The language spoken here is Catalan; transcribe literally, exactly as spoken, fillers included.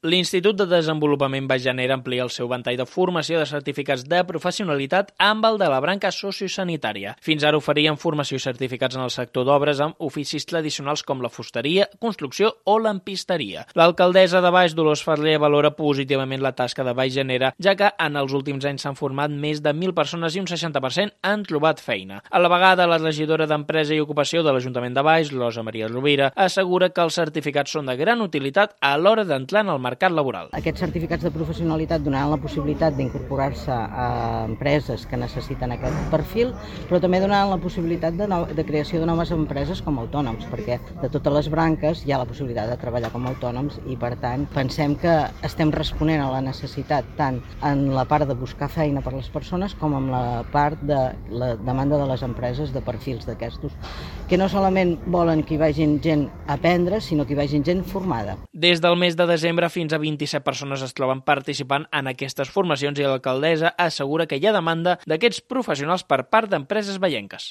L'Institut de Desenvolupament Baix Llanera amplia el seu ventall de formació de certificats de professionalitat amb el de la branca sociosanitària. Fins ara oferien formació i certificats en el sector d'obres amb oficis tradicionals com la fusteria, construcció o lampisteria. L'alcaldessa de Baix, Dolors Ferrer, valora positivament la tasca de Baix Llanera, ja que en els últims anys s'han format més de mil persones i un seixanta per cent han trobat feina. A la vegada, la regidora d'Empresa i Ocupació de l'Ajuntament de Baix, Rosa Maria Rovira, assegura que els certificats són de gran utilitat a l'hora d'entrar en el mercat laboral. Aquests certificats de professionalitat donaran la possibilitat d'incorporar-se a empreses que necessiten aquest perfil, però també donaran la possibilitat de, no, de creació de noves empreses com a autònoms, perquè de totes les branques hi ha la possibilitat de treballar com a autònoms i, per tant, pensem que estem responent a la necessitat tant en la part de buscar feina per a les persones com en la part de la demanda de les empreses de perfils d'aquestos, que no solament volen que hi vagin gent a aprendre, sinó que hi vagin gent formada. Des del mes de desembre fins a vint-i-set persones es troben participant en aquestes formacions i l'alcaldessa assegura que hi ha demanda d'aquests professionals per part d'empreses baienques.